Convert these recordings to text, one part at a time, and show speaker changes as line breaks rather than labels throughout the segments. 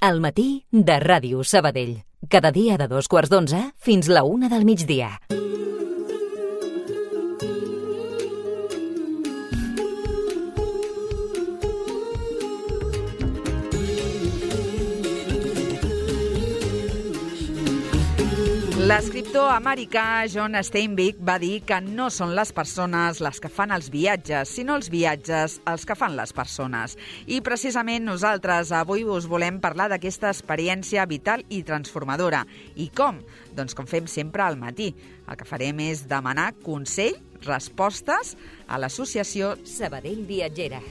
Al matí de Ràdio Sabadell. Cada dia de 2:15 fins la 1 del migdia.
L'escriptor americà John Steinbeck va dir que no són les persones les que fan els viatges, sinó els viatges els que fan les persones. I precisament nosaltres avui us volem parlar d'aquesta experiència vital i transformadora. I com? Doncs com fem sempre al matí. El que farem és demanar consell, respostes a l'associació
Sabadell Viatgera.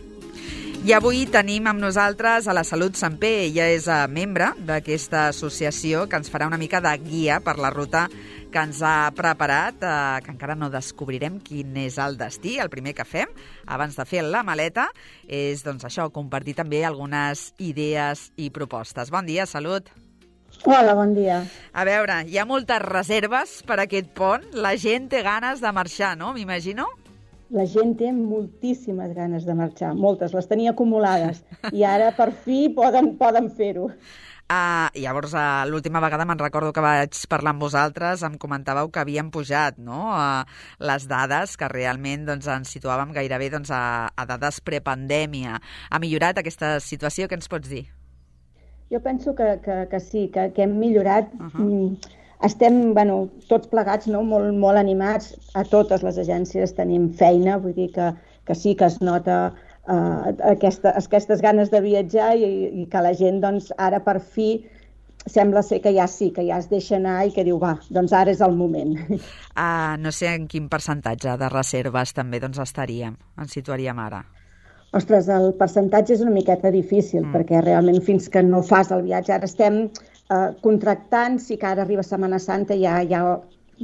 I avui tenim amb nosaltres a la Salut Samper. Ella és membre d'aquesta associació que ens farà una mica de guia per la ruta que ens ha preparat, que encara no descobrirem quin és el destí. El primer que fem, abans de fer la maleta, és doncs això, compartir també algunes idees i propostes. Bon dia, Salut.
Hola, bon dia.
A veure, hi ha moltes reserves per aquest pont. La gent té ganes de marxar, no? M'imagino?
La gent té moltíssimes ganes de marxar, moltes, les tenia acumulades, i ara per fi poden fer-ho.
Llavors, l'última vegada me'n recordo que vaig parlar amb vosaltres, em comentàveu que havien pujat, no?, les dades, que realment doncs, ens situàvem gairebé doncs, a dades prepandèmia. Ha millorat aquesta situació? Què ens pots dir?
Jo penso que sí, que hem millorat. Estem, tots plegats, no? molt animats. A totes les agències tenim feina, vull dir que sí que es nota aquestes ganes de viatjar i que la gent, doncs, ara per fi sembla ser que ja es deixa anar i que diu, va, doncs ara és el moment.
No sé en quin percentatge de reserves també doncs, ens situaríem ara.
Ostres, el percentatge és una miqueta difícil, perquè realment fins que no fas el viatge, ara estem contractant, sí que ara arriba Setmana Santa, hi ha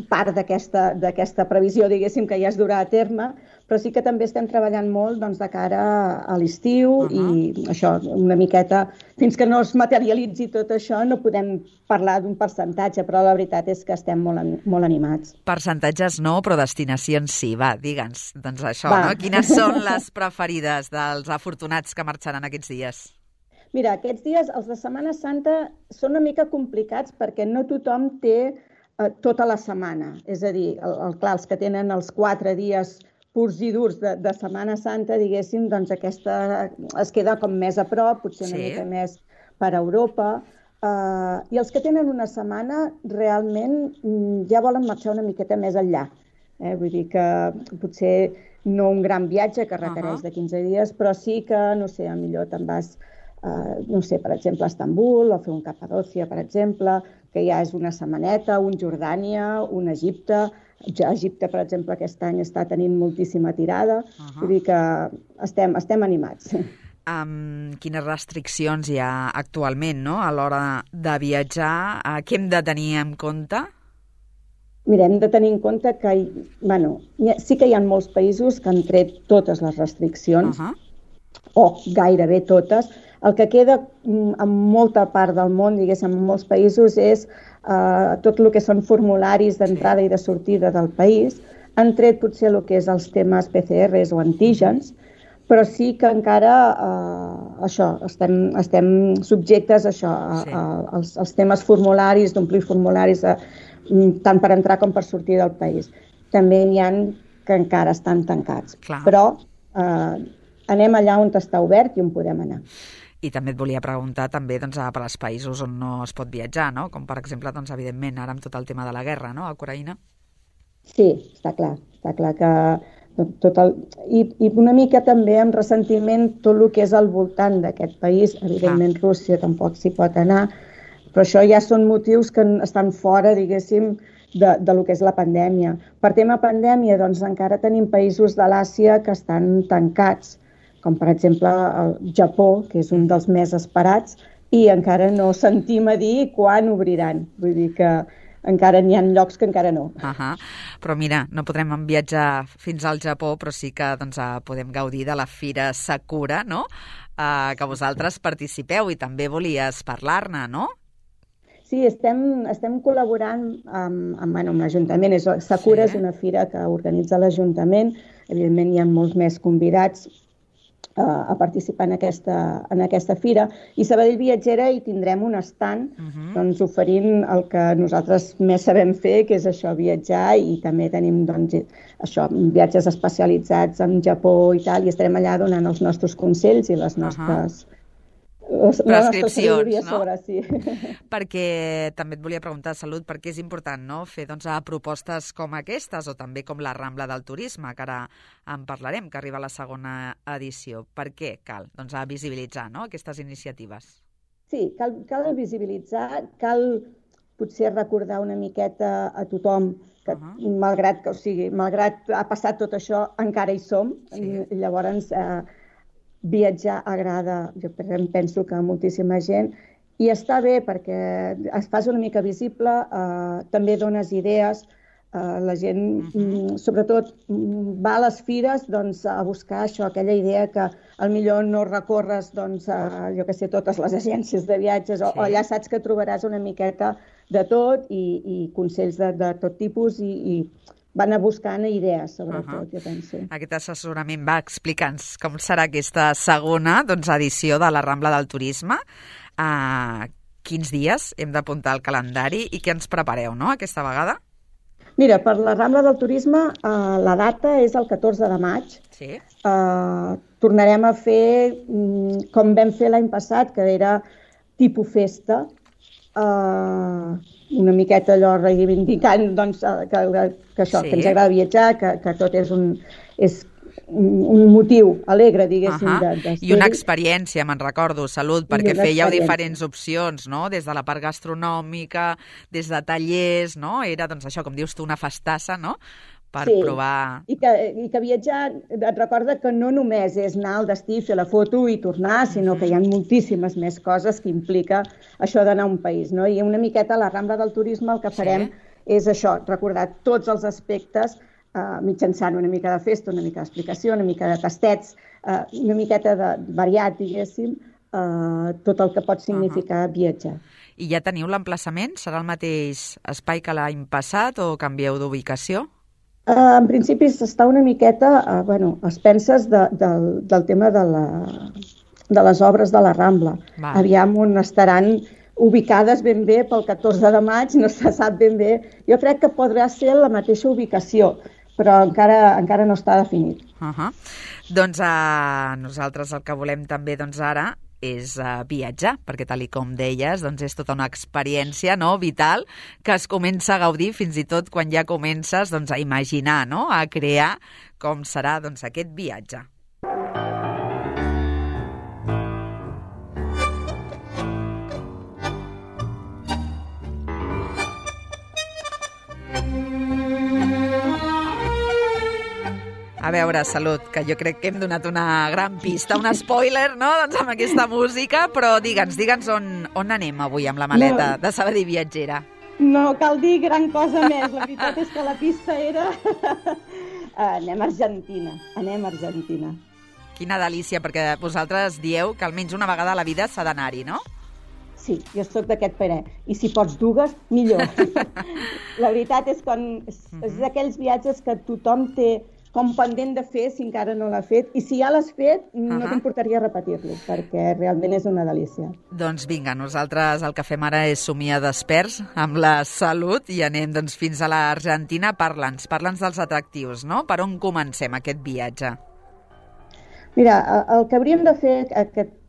part d'aquesta previsió, diguéssim, que ja es durà a terme, però sí que també estem treballant molt doncs, de cara a l'estiu i això, una miqueta, fins que no es materialitzi tot això, no podem parlar d'un percentatge, però la veritat és que estem molt animats.
Percentatges no, però destinacions sí. Va, digue'ns, doncs això, no? Quines són les preferides dels afortunats que marxaran aquests dies?
Mira, aquests dies, els de Setmana Santa, són una mica complicats perquè no tothom té tota la setmana. És a dir, clar, els que tenen els 4 dies purs i durs de Setmana Santa, diguéssim, doncs aquesta es queda com més a prop, potser una mica més per Europa. I els que tenen una setmana realment ja volen marxar una miqueta més enllà. Vull dir que potser no un gran viatge que requereix de 15 dies, però sí que, no sé, millor te'n vas no sé, per exemple, a Estambul, o fer un Capadòcia, per exemple, que ja és una setmaneta, un Jordània, un Egipte. Egipte, per exemple, aquest any està tenint moltíssima tirada. Vull dir que estem animats.
Quines restriccions hi ha actualment, no?, a l'hora de viatjar? Què hem de tenir en compte?
Mira, hem de tenir en compte que sí que hi ha molts països que han tret totes les restriccions, o gairebé totes. El que queda en molta part del món, diguéssim, en molts països, és tot el que són formularis d'entrada i de sortida del país. Han tret potser el que és els temes PCRs o antígens, però sí que encara estem subjectes als temes formularis, d'omplir formularis tant per entrar com per sortir del país. També n'hi ha que encara estan tancats. Però anem allà on està obert i on podem anar.
I també et volia preguntar també per als països on no es pot viatjar, no? Com per exemple, evidentment, ara amb tot el tema de la guerra, no?, a Ucraïna.
Sí, està clar que i una mica també amb ressentiment tot el que és al voltant d'aquest país. Evidentment, Rússia tampoc s'hi pot anar, però això ja són motius que estan fora, diguéssim, de lo que és la pandèmia. Per tema pandèmia, doncs encara tenim països de l'Àsia que estan tancats, com per exemple el Japó, que és un dels més esperats, i encara no sentim a dir quan obriran. Vull dir que encara n'hi ha llocs que encara no.
Però mira, no podrem viatjar fins al Japó, però sí que podem gaudir de la Fira Sakura, no?, que vosaltres participeu i també volies parlar-ne, no?
Sí, estem col·laborant amb l'Ajuntament. Sakura és una fira que organitza l'Ajuntament. Evidentment, hi ha molts més convidats, a participar en aquesta fira. I Sabadell Viatgera hi tindrem un stand doncs, oferint el que nosaltres més sabem fer, que és això, viatjar, i també tenim doncs, això, viatges especialitzats en Japó i tal, i estarem allà donant els nostres consells i les nostres...
prescripcions, no?
Sobre, sí.
Perquè també et volia preguntar, Salut, perquè és important, no?, fer doncs, propostes com aquestes, o també com la Rambla del Turisme, que ara en parlarem, que arriba a la segona edició. Per què cal? Doncs a visibilitzar, no?, aquestes iniciatives.
Sí, cal visibilitzar, cal potser recordar una miqueta a tothom que malgrat ha passat tot això, encara hi som. Sí. Llavors, viatjar agrada, jo penso que a moltíssima gent, i està bé perquè es fas una mica visible, també dones idees, la gent sobretot va a les fires doncs, a buscar això, aquella idea que potser no recorres doncs, jo que sé, totes les agències de viatges, o allà saps que trobaràs una miqueta de tot i consells de tot tipus i van a buscant idees, sobretot, jo penso.
Aquest assessorament va explica'ns com serà aquesta segona edició de la Rambla del Turisme. Quins dies hem d'apuntar al calendari i què ens prepareu, no?, aquesta vegada?
Mira, per la Rambla del Turisme la data és el 14 de maig.
Sí.
Tornarem a fer com vam fer l'any passat, que era tipus festa, una miqueta allò reivindicant doncs, que això, que ens agrada viatjar, que tot és un motiu alegre, diguéssim.
I una experiència, me'n recordo, Salut, perquè fèieu diferents opcions, no?, des de la part gastronòmica, des de tallers, no?, era, doncs això, com dius tu, una festassa, no?, per provar...
I que viatjar, et recorda que no només és anar al destí, fer la foto i tornar, sinó que hi ha moltíssimes més coses que implica això d'anar a un país, no? I una miqueta a la Rambla del Turisme el que farem és això, recordar tots els aspectes mitjançant una mica de festa, una mica d'explicació, una mica de tastets, una miqueta de variat, diguéssim, tot el que pot significar viatjar.
I ja teniu l'emplaçament? Serà el mateix espai que l'any passat o canvieu d'ubicació?
En principi s'està una miqueta, es penses del tema de les obres de la Rambla. Aviam on estaran ubicades ben bé pel 14 de maig, no se sap ben bé. Jo crec que podrà ser la mateixa ubicació, però encara no està definit.
Doncs nosaltres el que volem també ara és viatjar, perquè tal com deies, doncs és tota una experiència, no?, vital, que es comença a gaudir fins i tot quan ja comences doncs, a imaginar, no?, a crear com serà doncs, aquest viatge. A veure, Salut, que jo crec que hem donat una gran pista, un spoiler, no?, doncs amb aquesta música, però digue'ns on anem avui amb la maleta de Sabadell Viatgera.
No cal dir gran cosa més, la veritat és que la pista era... Anem a Argentina.
Quina delícia, perquè vosaltres dieu que almenys una vegada a la vida s'ha d'anar-hi, no?
Sí, jo soc d'aquest parer. I si pots dues, millor. La veritat és que és d'aquells viatges que tothom té com pendent de fer si encara no l'ha fet, i si ja l'has fet, no t'importaria repetir-lo, perquè realment és una delícia.
Doncs vinga, nosaltres el que fem ara és somiar desperts amb la Salut i anem doncs, fins a l'Argentina. Parla'ns dels atractius, no? Per on comencem aquest viatge?
Mira, el que hauríem de fer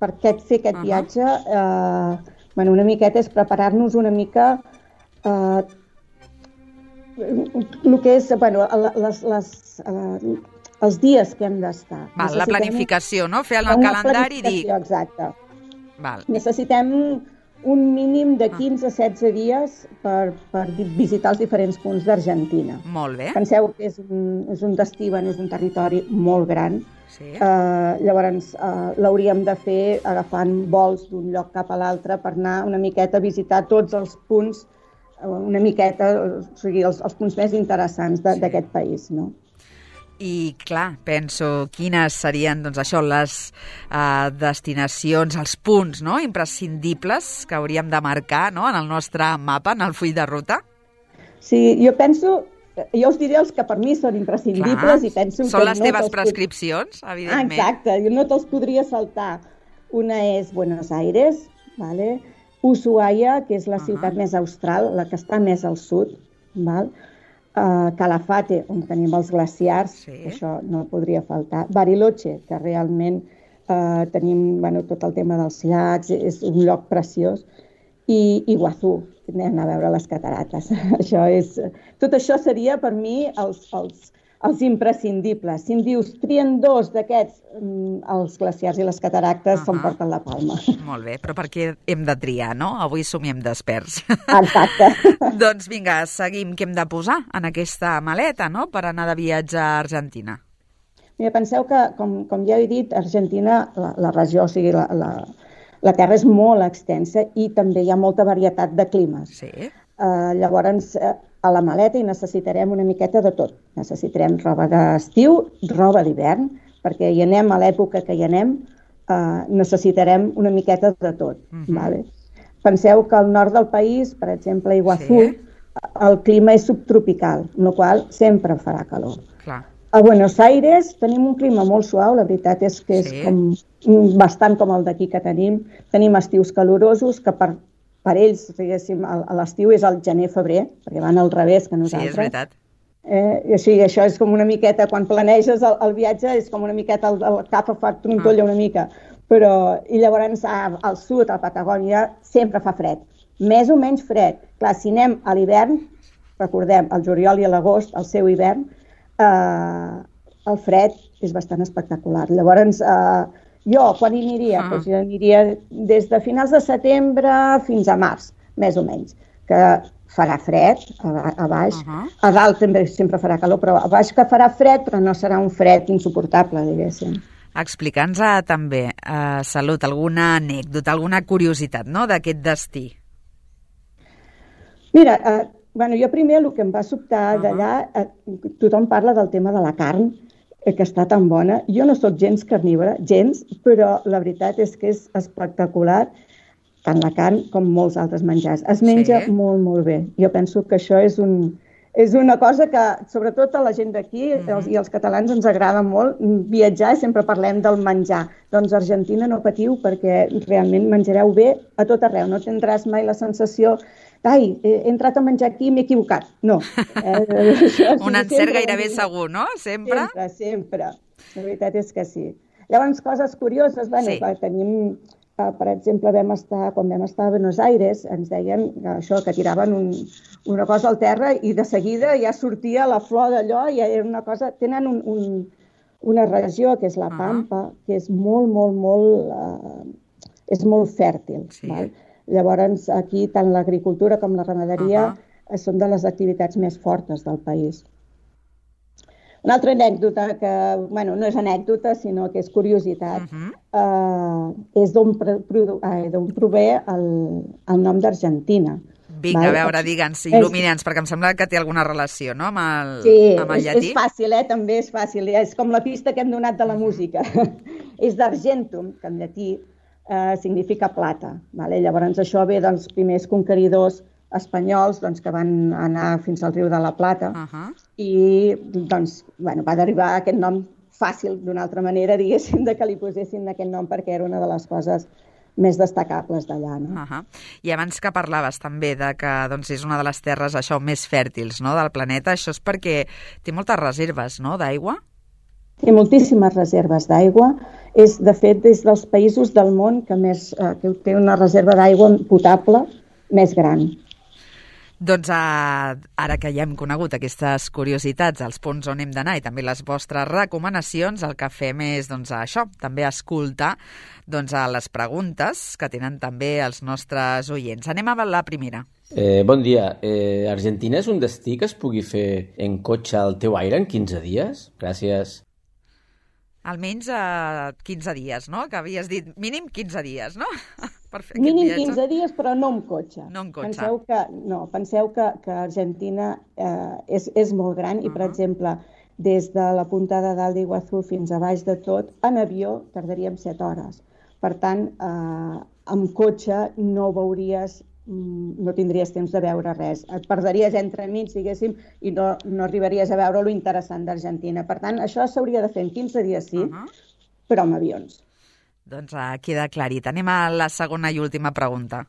per fer aquest viatge, una miqueta és preparar-nos una mica el que és, els dies que hem d'estar.
La planificació, no? Fer el calendari i dir...
Exacte. Necessitem un mínim de 15 a 16 dies per visitar els diferents punts d'Argentina.
Molt bé.
Penseu que és un destí, és un territori molt gran. Llavors l'hauríem de fer agafant vols d'un lloc cap a l'altre per anar una miqueta a visitar tots els punts, una miqueta, o sigui, els punts més interessants d'aquest país, no?
I, clar, penso, quines serien, doncs, això, les destinacions, els punts, no?, imprescindibles que hauríem de marcar, no?, en el nostre mapa, en el full de ruta?
Sí, jo penso jo us diré els que per mi són imprescindibles i penso que
són les teves prescripcions, evidentment.
Exacte, no te'ls podria saltar. Una és Buenos Aires, vale? Ushuaia, que és la ciutat més austral, la que està més al sud, val? Calafate, on tenim els glaciars, això no podria faltar. Bariloche, que realment tenim tot el tema dels llacs, és un lloc preciós, i Iguazú, anem a veure les catarates. Tot això seria per mi els imprescindibles. Si em dius, trien dos d'aquests, els glaciars i les cataractes s'emporten la palma.
Molt bé, però per què hem de triar, no? Avui somiem d'experts.
Exacte.
Doncs vinga, seguim. Què hem de posar en aquesta maleta, no?, per anar de viatge a Argentina?
Mira, penseu que, com ja he dit, Argentina, la regió, o sigui, la terra és molt extensa i també hi ha molta varietat de climes.
Sí.
Llavors, a la maleta hi necessitarem una miqueta de tot. Necessitarem roba d'estiu, roba d'hivern, perquè hi anem a l'època que hi anem, necessitarem una miqueta de tot. Vale? Penseu que al nord del país, per exemple, a Iguazú, el clima és subtropical, amb la qual cosa sempre farà calor.
Clar.
A Buenos Aires tenim un clima molt suau, la veritat és que és bastant com el d'aquí que tenim. Tenim estius calorosos, que per ells, diguéssim, l'estiu és el gener-febrer, perquè van al revés que nosaltres.
Sí, és veritat.
I això és com una miqueta, quan planeges el viatge, és com una miqueta el cap fa trontolla una mica. I llavors al sud, a Patagònia, sempre fa fred. Més o menys fred. Clar, si anem a l'hivern, recordem, el juliol i l'agost, el seu hivern, el fred és bastant espectacular. Llavors, jo, quan hi aniria? Doncs jo aniria des de finals de setembre fins a març, més o menys, que farà fred a baix. A dalt també sempre farà calor, però a baix que farà fred, però no serà un fred insuportable, diguéssim.
Explica'ns també, Salut, alguna anècdota, alguna curiositat, no?, d'aquest destí.
Mira, jo primer el que em va sobtar d'allà, tothom parla del tema de la carn, que està tan bona. Jo no sóc gens carnívora, gens, però la veritat és que és espectacular, tant la carn com molts altres menjars. Es menja molt, molt bé. Jo penso que això és una cosa que, sobretot a la gent d'aquí i els catalans ens agrada molt viatjar i sempre parlem del menjar. Doncs a Argentina no patiu perquè realment menjareu bé a tot arreu. No tindràs mai la sensació he entrat a menjar aquí i m'he equivocat. No.
Un encert gairebé segur, no? Sempre?
Sempre. La veritat és que sí. Llavors, coses curioses, tenim, per exemple, quan vam estar a Buenos Aires, ens deien que tiraven una cosa al terra i de seguida ja sortia la flor d'allò i era una cosa... Tenen una regió, que és la Pampa, que és molt, molt, molt... és molt fèrtil, val? Llavors, aquí tant l'agricultura com la ramaderia són de les activitats més fortes del país. Una altra anècdota, que no és anècdota, sinó que és curiositat, és d'on prové el nom d'Argentina.
Vinga, a veure, digue'ns, il·lumina'ns, perquè em sembla que té alguna relació, no?, amb el llatí.
És fàcil, també és fàcil. És com la pista que hem donat de la música. És d'Argentum, que en llatí significa plata. Llavors això ve dels primers conqueridors espanyols que van anar fins al riu de la Plata i va derivar aquest nom fàcil d'una altra manera, diguéssim, que li posessin aquest nom perquè era una de les coses més destacables d'allà.
I abans que parlaves també que és una de les terres més fèrtils del planeta, això és perquè té moltes reserves d'aigua?
Té moltíssimes reserves d'aigua. És, de fet, des dels països del món que té una reserva d'aigua potable més gran.
Doncs ara que ja hem conegut aquestes curiositats, els punts on hem d'anar i també les vostres recomanacions, el que fem és això, també escoltar les preguntes que tenen també els nostres oients. Anem a la primera.
Bon dia. Argentina és un destí que es pugui fer en cotxe al teu aire en 15 dies? Gràcies.
Almenys 15 dies, no? Que havies dit mínim 15 dies, no?
Mínim 15 dies, però no amb cotxe.
No amb cotxe.
Penseu que Argentina és molt gran i, per exemple, des de la punta de dalt d'Iguazú fins a baix de tot, en avió tardaríem 7 hores. Per tant, amb cotxe no veuries no tindries temps de veure res. Et perderies entremig, diguéssim, i no arribaries a veure lo interessant d'Argentina. Per tant, això s'hauria de fer en 15 dies, sí, però amb avions.
Doncs queda aclarit. Anem a la segona i última pregunta.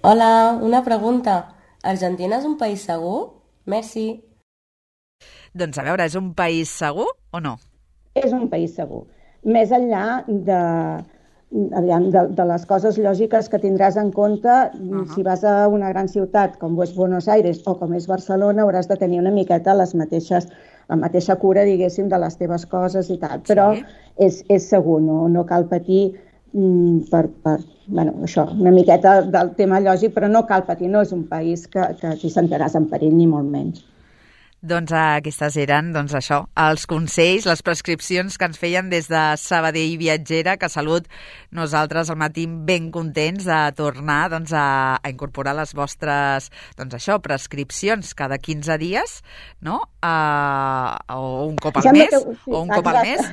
Hola, una pregunta. Argentina és un país segur? Merci.
Doncs a veure, és un país segur o no?
És un país segur. Més enllà de les coses lògiques que tindràs en compte, si vas a una gran ciutat com és Buenos Aires o com és Barcelona, hauràs de tenir una miqueta la mateixa cura, diguéssim, de les teves coses i tal. Però és segur, no cal patir això, una miqueta del tema lògic, però no cal patir, no és un país que t'hi sentiràs en perill, ni molt menys.
Doncs aquestes eren, els consells, les prescripcions que ens feien des de Sabadell Viatgera, que Salut, nosaltres al matí ben contents de tornar a incorporar les vostres, prescripcions cada 15 dies, no? O un cop al mes,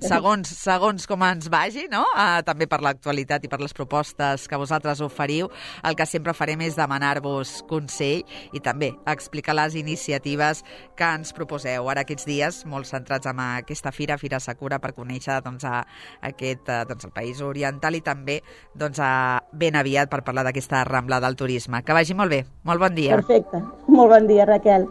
segons com ens vagi, no? També per l'actualitat i per les propostes que vosaltres oferiu, el que sempre farem és demanar-vos consell i també explicar les iniciatives que ens proposeu ara aquests dies, molt centrats en aquesta Fira Sakura, per conèixer el país oriental i també ben aviat per parlar d'aquesta Rambla del turisme. Que vagi molt bé. Molt bon dia.
Perfecte. Molt bon dia, Raquel.